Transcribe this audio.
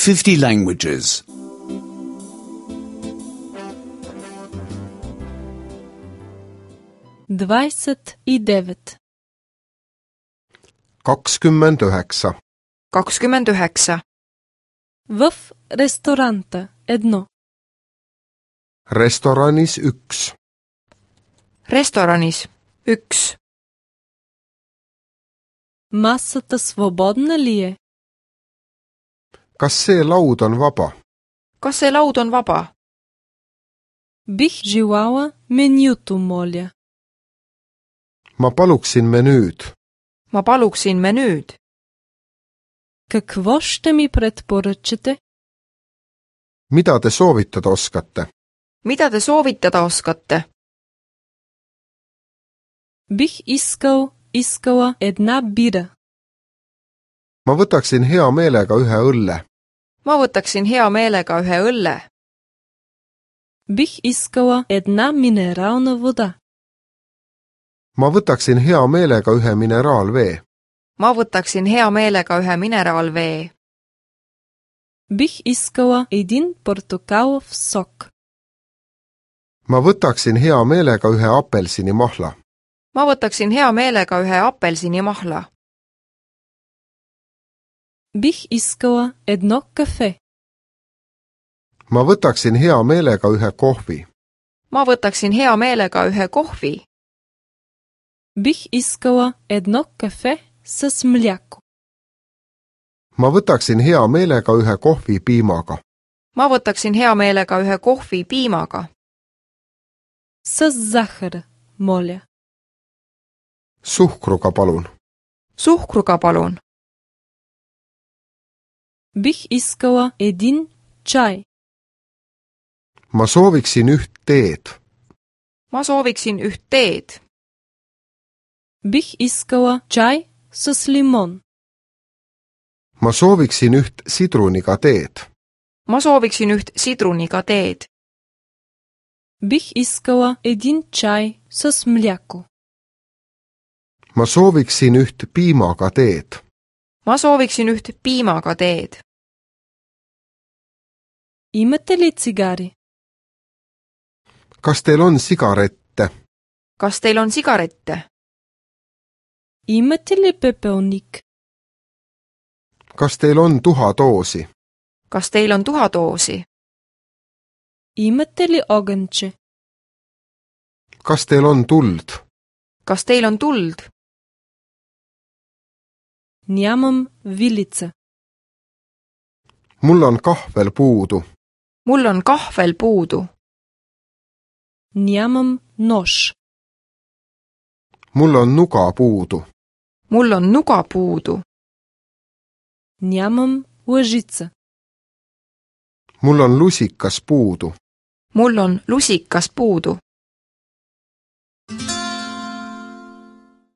50 languages. 29. 29. 29. В ресторанта едно. Restoranis 1. Restoranis 1. Масата свободна ли е? Kas see laud on vaba? Kas see laud on vaba? Бих желала менюто, моля. Ma paluksin menüüd. Ma paluksin menüüd. Какво ще ми предпоръчате? Mida te soovitada oskate? Mida te soovitada oskate? Бих искала една бира. Ma võtaksin hea meelega ühe õlle. Ma võtaksin hea meelega ühe õlle. Бих искала една минерална вода. Ma võtaksin hea meelega ühe mineraalvee. Ma võtaksin hea meelega ühe mineraalvee. Бих искала един портокалов сок. Ma võtaksin hea meelega ühe apelsinimahla. Ma võtaksin hea meelega ühe apelsinimahla. Бих искала едно кафе. Ma võtaksin hea meelega ühe kohvi. Ma võtaksin hea meelega ühe kohvi. Бих искала едно кафе с мляко. Ma võtaksin hea meelega ühe kohvi piimaga. Ma võtaksin hea meelega ühe kohvi piimaga. С захар, моля. Suhkruga palun. Suhkruga palun. Бих искала един чай. Ma sooviksin üht teed. Ma sooviksin üht teed. Бих искала чай с лимон. Ma sooviksin üht sidruniga teed. Ma sooviksin üht sidruniga teed. Бих искала един чай с мляко. Ma sooviksin üht piimaga teed. Ma sooviksin üht piimaga teed. Имате ли цигари? Kas teil on sigarette? Kas teil on sigarette? Имате ли пепелник? Kas teil on tuhadoosi? Kas teil on tuhadoosi? Имате ли огънче? Kas teil on tuld? Kas teil on tuld? Нямам вилица. Mul on kahvel puudu. Mul on kahvel puudu. Нямам нож. Mul on nuga puudu. Mul on nuga puudu. Нямам лъжица. Mul on lusikas puudu. Mul on lusikas puudu.